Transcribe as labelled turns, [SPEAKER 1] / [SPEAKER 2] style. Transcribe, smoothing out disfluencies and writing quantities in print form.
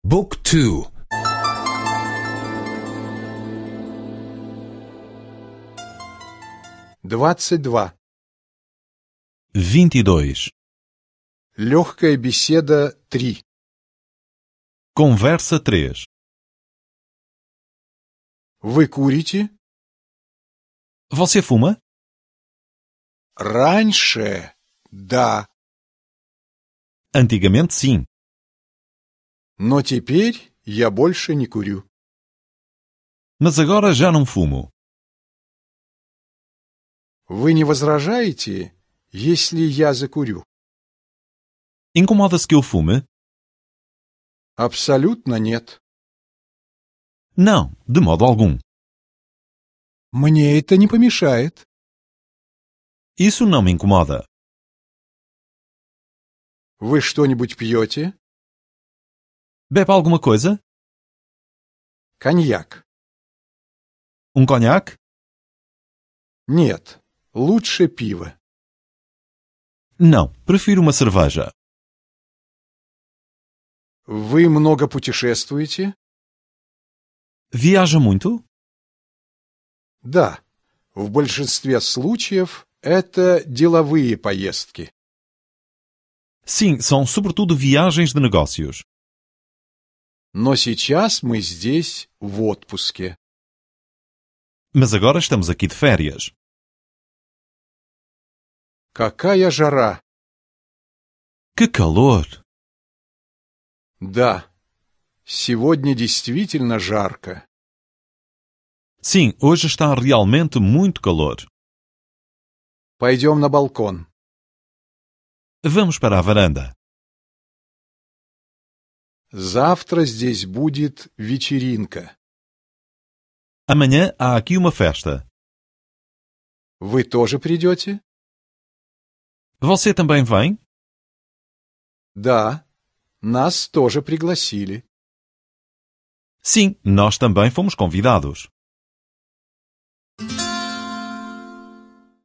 [SPEAKER 1] Book 2.
[SPEAKER 2] 22.
[SPEAKER 3] 22.
[SPEAKER 2] Легкая беседа 3.
[SPEAKER 3] Conversa 3.
[SPEAKER 2] Вы курите?
[SPEAKER 3] Você fuma?
[SPEAKER 2] Раньше, да.
[SPEAKER 3] Antigamente sim.
[SPEAKER 2] Но теперь я больше не курю.
[SPEAKER 3] Mas agora já não fumo.
[SPEAKER 2] Вы не возражаете, если я закурю?
[SPEAKER 3] Incomoda-se que eu fume?
[SPEAKER 2] Абсолютно нет.
[SPEAKER 3] Não, de modo algum.
[SPEAKER 2] Мне это не помешает.
[SPEAKER 3] Isso não me incomoda.
[SPEAKER 2] Вы что-нибудь пьете?
[SPEAKER 3] Bebe alguma coisa?
[SPEAKER 2] Коньяк.
[SPEAKER 3] Conhaque?
[SPEAKER 2] Нет, лучше пиво.
[SPEAKER 3] Não, prefiro uma cerveja.
[SPEAKER 2] Вы много путешествуете?
[SPEAKER 3] Viaja muito?
[SPEAKER 2] Да, в большинстве случаев это деловые поездки.
[SPEAKER 3] Sim, são sobretudo viagens de negócios.
[SPEAKER 2] Но сейчас мы здесь в отпуске.
[SPEAKER 3] Mas agora estamos aqui de férias.
[SPEAKER 2] Какая жара!
[SPEAKER 3] Que calor!
[SPEAKER 2] Да, сегодня действительно жарко.
[SPEAKER 3] Sim, hoje está realmente muito calor.
[SPEAKER 2] Пойдем на балкон.
[SPEAKER 3] Vamos para a varanda.
[SPEAKER 2] Завтра здесь будет вечеринка.
[SPEAKER 3] Amanhã há aqui uma festa.
[SPEAKER 2] Вы тоже придете?
[SPEAKER 3] Você também vem?
[SPEAKER 2] Да, нас тоже пригласили.
[SPEAKER 3] Sim, nós também fomos convidados.